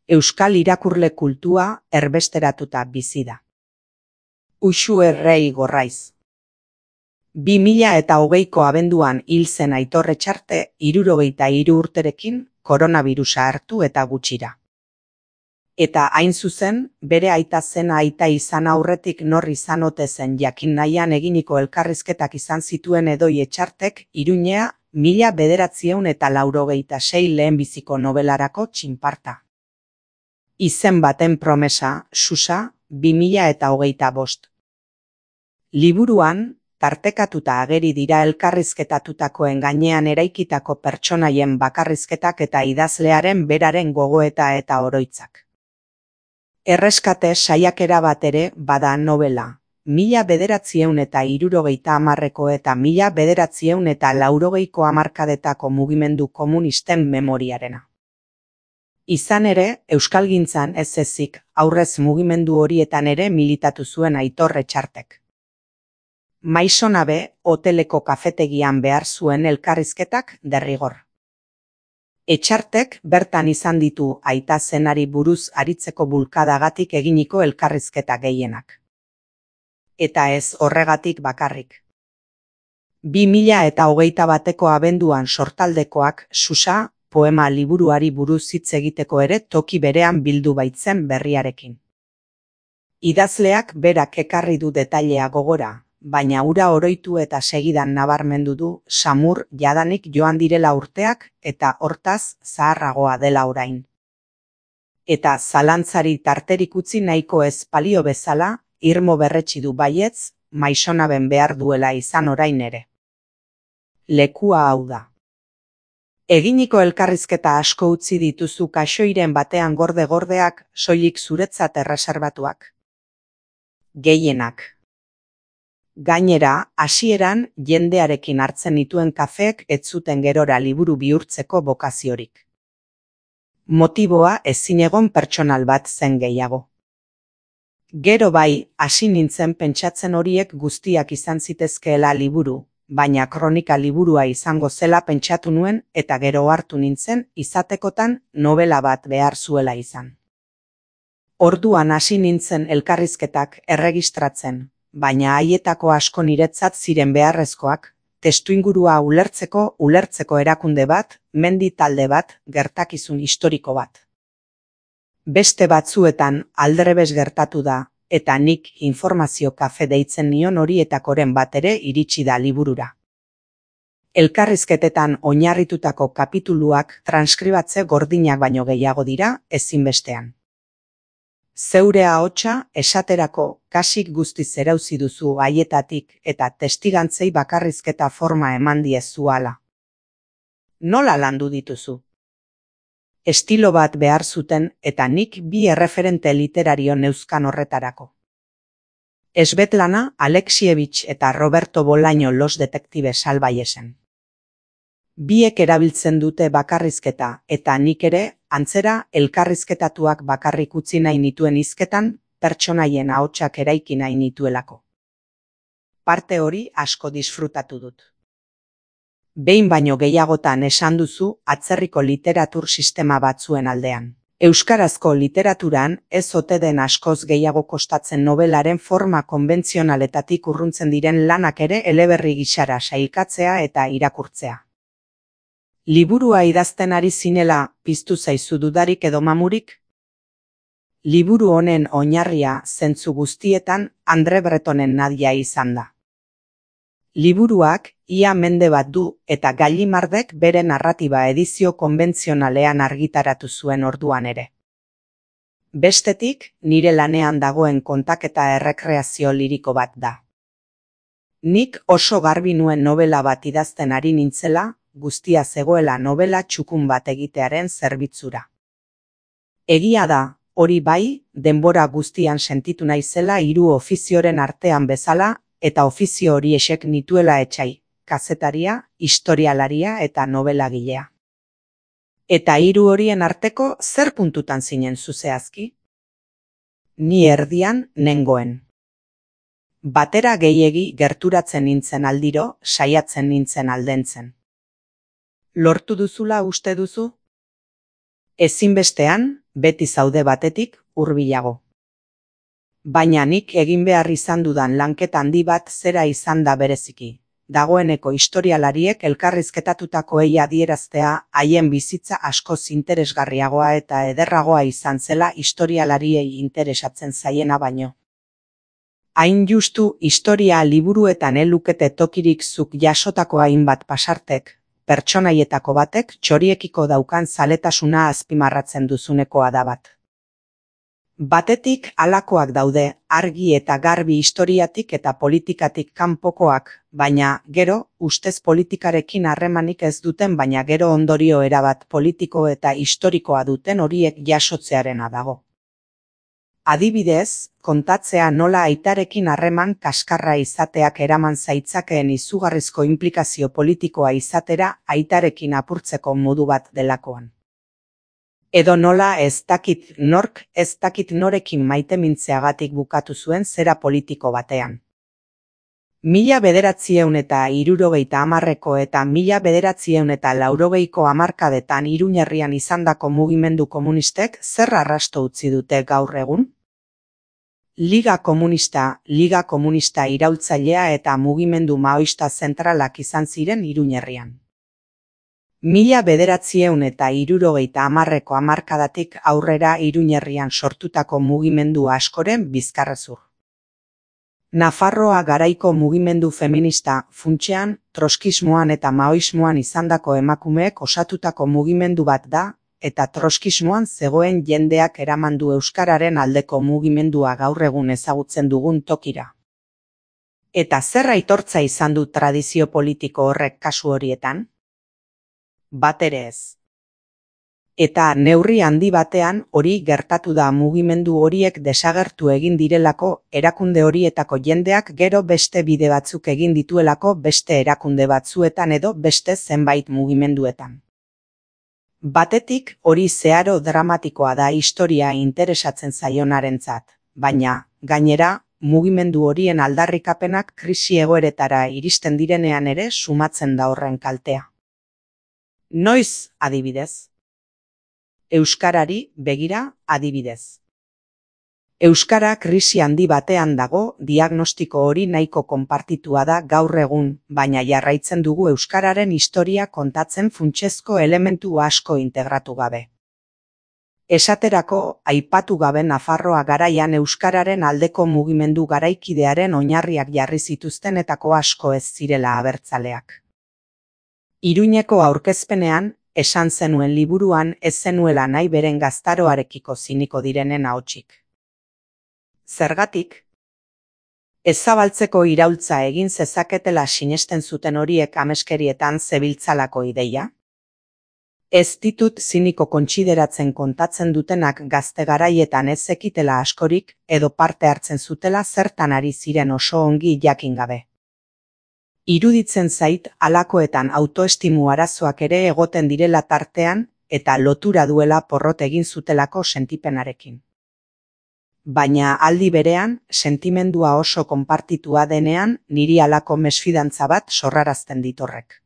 Euskal irakurle kultua erbesteratuta bizi da. Uxu Errei Gorraiz. 2020ko abenduan hil zen Aitor Etxarte 73 urterekin koronabirusa hartu eta gutxira. Eta hain zuzen, bere aita zena aita izan aurretik nor izan ote zen jakin nahian eginiko elkarrizketak izan zituen Edoi Etxartek Iruñea 1986 lehenbiziko nobelarako txinparta. Izen baten promesa, Susa, 2025. Liburuan, tartekatuta ageri dira elkarrizketatutakoen gainean eraikitako pertsonaien bakarrizketak eta idazlearen beraren gogoeta eta oroitzak. Erreskate saiakera bat ere bada novela, 1970ko eta 1980ko hamarkadetako mugimendu komunisten memoriarena. Izan ere, euskalgintzan ez ezik, aurrez mugimendu horietan ere militatu zuen Aitor Etxartek. Maisonabe, hoteleko kafetegian behar zuen elkarrizketak derrigor. Etxartek bertan izan ditu aita zenari buruz aritzeko bulkadagatik eginiko elkarrizketa gehienak. Eta ez horregatik bakarrik. 2021ko abenduan sortaldekoak Susa poema liburuari buruz hitz egiteko ere toki berean bildu baitzen berriarekin. Idazleak berak ekarri du detailea gogora, baina hura oroitu eta segidan nabarmendu du samur jadanik joan direla urteak eta hortaz zaharragoa dela orain. Eta zalantzari tarterik utzi nahiko ez balio bezala, irmo berretsi du baietz, maisonaben behar duela izan orain ere. Lekua hau da. Eginiko elkarrizketa asko utzi dituzu kaxoiren batean gorde-gordeak soilik zuretzat erreserbatuak. Gehienak. Gainera, hasieran jendearekin hartzen nituen kafeek ez zuten gerora liburu bihurtzeko bokaziorik. Motiboa ezinegon pertsonal bat zen gehiago. Gero bai, hasi nintzen pentsatzen horiek guztiak izan zitezkeela liburu, baina kronika liburua izango zela pentsatu nuen eta gero hartu nintzen izatekotan novela bat behar zuela izan. Orduan hasi nintzen elkarrizketak erregistratzen, baina haietako asko niretzat ziren beharrezkoak, testuingurua ulertzeko erakunde bat, mendi talde bat, gertakizun historiko bat. Beste batzuetan aldrebes gertatu da, eta nik informazio kafe deitzen nion horietakoren bat ere iritsi da liburura. Elkarrizketetan oinarritutako kapituluak transkribatze gordinak baino gehiago dira ezinbestean. Zeure ahotsa esaterako kasik guztiz erauzi duzu haietatik eta testigantzei bakarrizketa forma eman diezu hala. Nola landu dituzu? Estilo bat behar zuten eta nik bi erreferente literario neuzkan horretarako. Svetlana Alexievich eta Roberto Bolaño Los Detectives Salvaiesen. Biek erabiltzen dute bakarrizketa eta nik ere, antzera elkarrizketatuak bakarrik utzi nahi nituen hizketan, pertsonaien ahotsak eraiki nahi nituelako. Parte hori asko disfrutatu dut. Behin baino gehiagotan esan duzu atzerriko literatur sistema batzuen aldean. Euskarazko literaturan ez ote den askoz gehiago kostatzen nobelaren forma konbentzionaletatik urruntzen diren lanak ere eleberri gisara sailkatzea eta irakurtzea. Liburua idazten ari zinela piztu zaizu dudarik edo mamurik? Liburu honen oinarria zentzu guztietan Andre Bretonen Nadia izan da. Liburuak ia mende bat du eta Gallimardek bere narratiba edizio konbentzionalean argitaratu zuen orduan ere. Bestetik, nire lanean dagoen kontaketa errekreazio liriko bat da. Nik oso garbi nuen novela bat idazten ari nintzela, guztia zegoela novela txukun bat egitearen zerbitzura. Egia da, hori bai, denbora guztian sentitu naizela hiru ofizioren artean bezala, eta ofizio horiexek nituela etsai, kazetaria, historialaria eta novelagilea. Eta hiru horien arteko zer puntutan zinen zuzehazki? Ni erdian nengoen. Batera gehiegi gerturatzen nintzen aldiro, saiatzen nintzen aldentzen. Lortu duzula uste duzu? Ezinbestean, beti zaude batetik, hurbilago. Baina nik egin behar izan dudan lanketa handi bat zera izan da bereziki. Dagoeneko historialariek elkarrizketatutakoei adieraztea haien bizitza askoz interesgarriagoa eta ederragoa izan zela historialariei interesatzen zaiena baino. Hain justu historia liburuetan elukete tokirik zuk jasotako hainbat pasartek, pertsonaietako batek txoriekiko daukan zaletasuna azpimarratzen duzunekoa da bat. Batetik halakoak daude, argi eta garbi historiatik eta politikatik kanpokoak, baina gero, ustez politikarekin harremanik ez duten baina gero ondorio erabat politiko eta historikoa duten horiek jasotzearena dago. Adibidez, kontatzea nola aitarekin harreman kaskarra izateak eraman zaitzakeen izugarrizko inplikazio politikoa izatera aitarekin apurtzeko modu bat delakoan. Edo nola ez dakit nork ez dakit norekin maitemintzeagatik bukatu zuen zera politiko batean. 1970ko eta 1980ko hamarkadetan Iruñerrian izandako mugimendu komunistek zer arrasto utzi dute gaur egun? Liga Komunista iraultzailea eta mugimendu maoista zentralak izan ziren Iruñerrian. 1970ko hamarkadatik aurrera Iruñerrian sortutako mugimendu askoren bizkarrezur. Nafarroa garaiko mugimendu feminista, funtsean, troskismoan eta maoismoan izandako emakumeek osatutako mugimendu bat da, eta troskismoan zegoen jendeak eramandu euskararen aldeko mugimendua gaur egun ezagutzen dugun tokira. Eta zer aitortza izan du tradizio politiko horrek kasu horietan? Bat ere ez. Eta neurri handi batean hori gertatu da mugimendu horiek desagertu egin direlako erakunde horietako jendeak gero beste bide batzuk egin dituelako beste erakunde batzuetan edo beste zenbait mugimenduetan. Batetik hori zeharo dramatikoa da historia interesatzen zaionarentzat, baina, gainera, mugimendu horien aldarrikapenak krisi egoeretara iristen direnean ere sumatzen da horren kaltea. Noiz, adibidez? Euskarari begira, adibidez. Euskara krisi handi batean dago, diagnostiko hori nahiko konpartitua da gaur egun, baina jarraitzen dugu euskararen historia kontatzen funtsezko elementu asko integratu gabe. Esaterako, aipatu gabe Nafarroa garaian euskararen aldeko mugimendu garaikidearen oinarriak jarri zituztenetako asko ez zirela abertzaleak. Iruñeko aurkezpenean, esan zenuen liburuan ez zenuela nahi beren gaztaroarekiko ziniko direnen ahotsik. Zergatik? Ez zabaltzeko iraultza egin zezaketela sinesten zuten horiek ameskerietan zebiltzalako ideia? Ez ditut ziniko kontsideratzen kontatzen dutenak gazte garaietan ez zekitela askorik edo parte hartzen zutela zertan ari ziren oso ongi jakin gabe. Iruditzen zait halakoetan autoestimu arazoak ere egoten direla tartean eta lotura duela porrot egin zutelako sentipenarekin. Baina aldi berean, sentimendua oso konpartitua denean, niri halako mesfidantza bat sorrarazten ditorrek.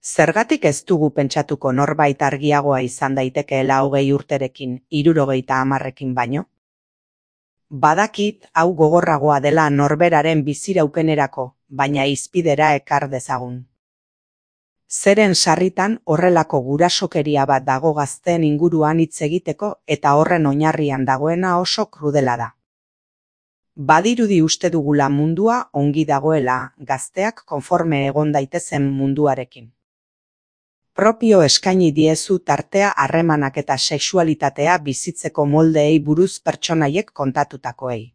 Zergatik ez dugu pentsatuko norbait argiagoa izan daitekeela 20 urterekin, 70 baino? Badakit hau gogorragoa dela norberaren biziraupenerako, baina izpidera ekar dezagun. Zeren sarritan horrelako gurasokeria bat dago gazteen inguruan hitz egiteko eta horren oinarrian dagoena oso krudela da. Badirudi uste dugula mundua ongi dagoela, gazteak konforme egon daitezen munduarekin. Propio eskaini diezu tartea harremanak eta sexualitatea bizitzeko moldeei buruz pertsonaiek kontatutakoei.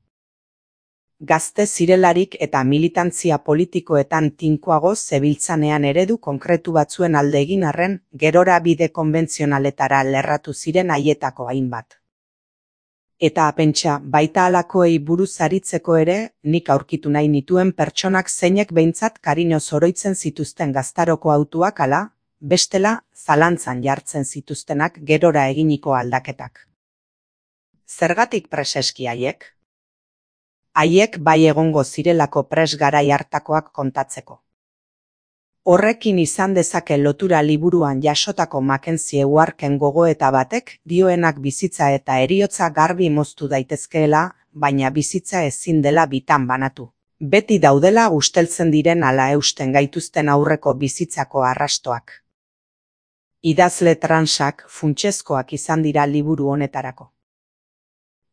Gazte zirelarik eta militantzia politikoetan tinkoago zebiltzanean eredu konkretu batzuen alde egin arren, gerora bide konbentzionaletara lerratu ziren haietako hainbat. Eta pentsa, baita halakoei buruz aritzeko ere, nik aurkitu nahi nituen pertsonak zeinek behintzat kariñoz oroitzen zituzten gaztaroko hautuak ala, bestela zalantzan jartzen zituztenak gerora eginiko aldaketak. Zergatik preseski haiek? Haiek bai egongo zirelako pres garai hartakoak kontatzeko. Horrekin izan dezake lotura liburuan jasotako Mackenzie Warken gogoeta batek dioenak bizitza eta heriotza garbi moztu daitezkeela, baina bizitza ezin dela bitan banatu. Beti daudela usteltzen diren ala eusten gaituzten aurreko bizitzako arrastoak. Idazle transak funtsezkoak izan dira liburu honetarako.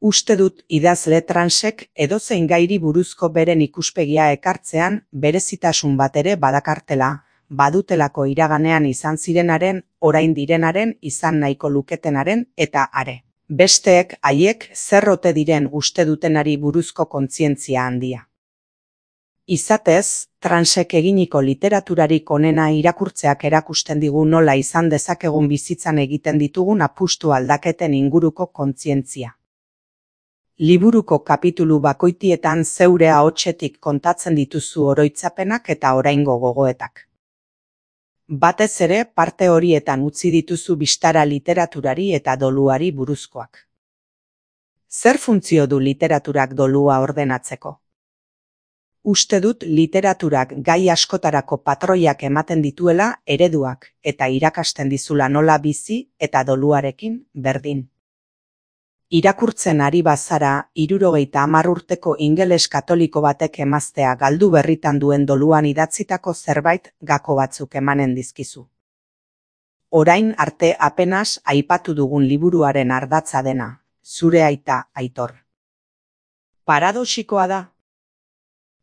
Uste dut idazle transek edozein gairi buruzko beren ikuspegia ekartzean berezitasun bat ere badakartela, badutelako iraganean izan zirenaren, orain direnaren, izan nahiko luketenaren eta are. Besteek haiek zer ote diren uste dutenari buruzko kontzientzia handia. Izatez, transek eginiko literaturarik onena irakurtzeak erakusten digu nola izan dezakegun bizitzan egiten ditugun apustu aldaketen inguruko kontzientzia. Liburuko kapitulu bakoitietan zeure ahotsetik kontatzen dituzu oroitzapenak eta oraingo gogoetak. Batez ere parte horietan utzi dituzu bistara literaturari eta doluari buruzkoak. Zer funtzio du literaturak dolua ordenatzeko? Uste dut literaturak gai askotarako patroiak ematen dituela ereduak eta irakasten dizula nola bizi eta doluarekin berdin. Irakurtzen ari bazara 70 urteko ingeles katoliko batek emaztea galdu berritan duen doluan idatzitako zerbait gako batzuk emanen dizkizu. Orain arte apenas aipatu dugun liburuaren ardatza dena, zure aita Aitor. Paradoxikoa da.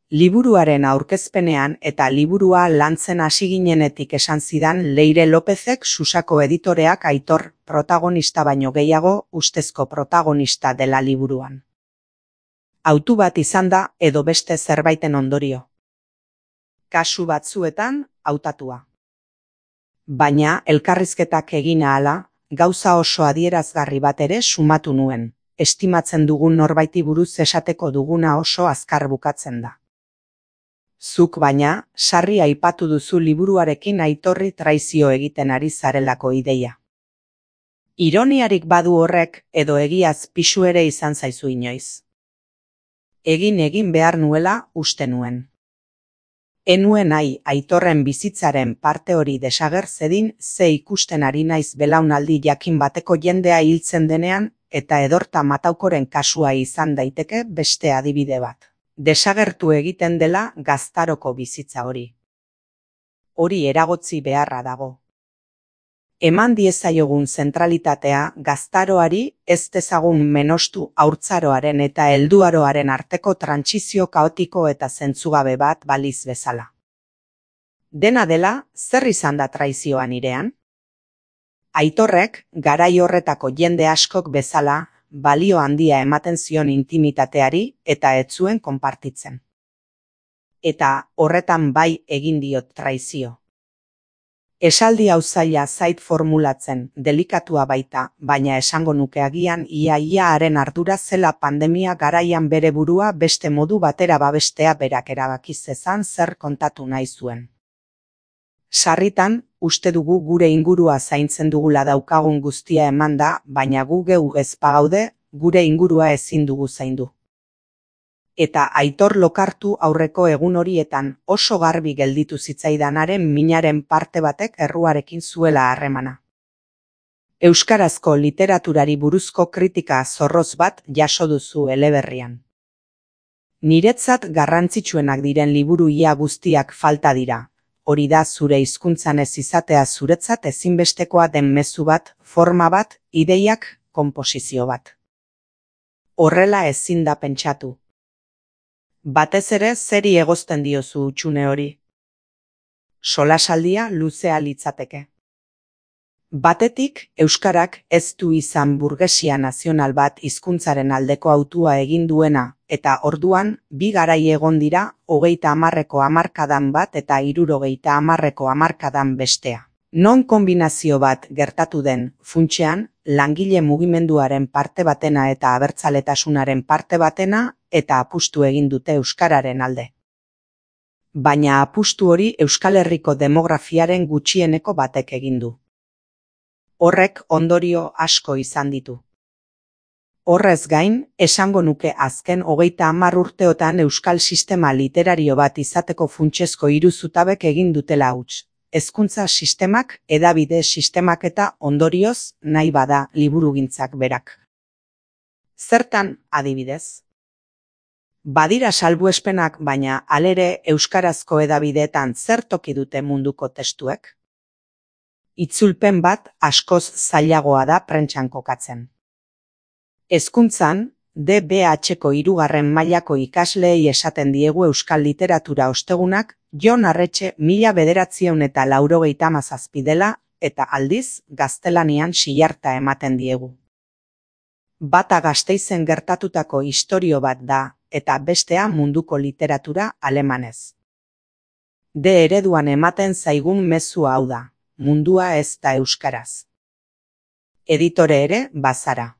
Liburuaren aurkezpenean eta liburua lantzen hasi ginenetik esan zidan Leire Lopezek Susako editoreak Aitor protagonista baino gehiago ustezko protagonista dela liburuan. Hautu bat izan da edo beste zerbaiten ondorio. Kasu batzuetan hautatua. Baina elkarrizketak egin ahala, gauza oso adierazgarri bat ere sumatu nuen. Estimatzen dugun norbaiti buruz esateko duguna oso azkar bukatzen da. Zuk baina, sarri aipatu duzu liburuarekin Aitorri traizio egiten ari zarelako ideia. Ironiarik badu horrek edo egiaz pisu ere izan zaizu inoiz. Egin behar nuela uste nuen. Enuen nahi Aitorren bizitzaren parte hori desager zedin ze ikusten ari naiz belaunaldi jakin bateko jendea hiltzen denean eta Edorta Mataukoren kasua izan daiteke beste adibide bat. Desagertu egiten dela gaztaroko bizitza hori. Hori eragotzi beharra dago. Eman diezaiogun zentralitatea gaztaroari ez dezagun menostu haurtzaroaren eta helduaroaren arteko trantsizio kaotiko eta zentzugabe bat baliz bezala. Dena dela, zer izan da traizioa nirean? Aitorrek, garai horretako jende askok bezala, balio handia ematen zion intimitateari eta ez zuen konpartitzen. Eta horretan bai egin diot traizio. Esaldi hau zaila zait formulatzen, delikatua baita, baina esango nuke agian ia haren ardura zela pandemia garaian bere burua beste modu batera babestea berak erabaki zezan zer kontatu nahi zuen. Sarritan, uste dugu gure ingurua zaintzen dugula daukagun guztia emanda, baina gu geu ez bagaude, gure ingurua ezin dugu zaindu. Eta Aitor lokartu aurreko egun horietan oso garbi gelditu zitzaidanaren minaren parte batek erruarekin zuela harremana. Euskarazko literaturari buruzko kritika zorroz bat jaso duzu eleberrian. Niretzat garrantzitsuenak diren liburu ia guztiak falta dira. Hori da zure hizkuntzan ez izatea zuretzat ezinbestekoa den mezu bat, forma bat, ideiak, konposizio bat. Horrela ezin da pentsatu. Batez ere zeri egozten diozu hutsune hori. Solasaldia luzea litzateke. Batetik, euskarak ez du izan burgesia nazional bat hizkuntzaren aldeko hautua egin duena, eta orduan, bi garai egon dira, 30ko hamarkadan bat eta 60ko hamarkadan bestea. Non konbinazio bat gertatu den, funtsean, langile mugimenduaren parte batena eta abertzaletasunaren parte batena, eta apustu egin dute euskararen alde. Baina apustu hori Euskal Herriko demografiaren gutxieneko batek egin du. Horrek ondorio asko izan ditu. Horrez gain, esango nuke azken 30 urteotan euskal sistema literario bat izateko funtsezko 3 zutabek egin dutela huts. Hezkuntza sistemak, hedabide sistemak eta ondorioz, nahi bada liburugintzak berak. Zertan, adibidez? Badira salbuespenak, baina halere euskarazko hedabideetan zer toki dute munduko testuek? Itzulpen bat askoz zailagoa da prentsan kokatzen. Hezkuntzan, DBH-ko 3. mailako ikasleei esaten diegu euskal literatura ostegunak Jon Arretxe 1997 dela eta aldiz gaztelanian silarta ematen diegu. Bata Gasteizen gertatutako istorio bat da eta bestea munduko literatura alemanez. D ereduan ematen zaigun mezu hau da, mundua ez da euskaraz. Editore ere bazara.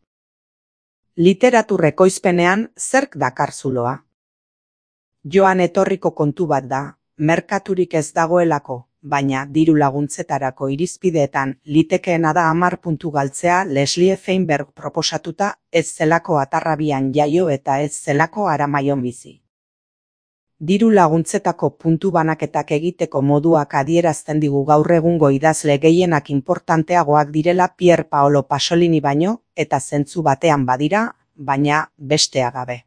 Literatur ekoizpenean zerk dakar zuloa? Joan etorriko kontu bat da, merkaturik ez dagoelako, baina diru laguntzetarako irizpideetan litekeena da 10 puntu galtzea Leslie Feinberg proposatuta ez zelako Atarrabian jaio eta ez zelako Aramaion bizi. Diru laguntzetako puntu banaketak egiteko moduak adierazten digu gaur egungo idazle gehienak importanteagoak direla Pier Paolo Pasolini baino, eta zentzu batean badira, baina bestea gabe.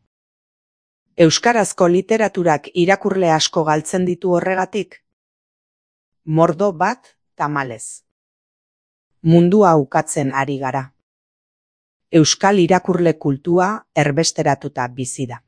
Euskarazko literaturak irakurle asko galtzen ditu horregatik? Mordo bat, tamalez. Mundua ukatzen ari gara. Euskal irakurle kultua erbesteratuta bizi da.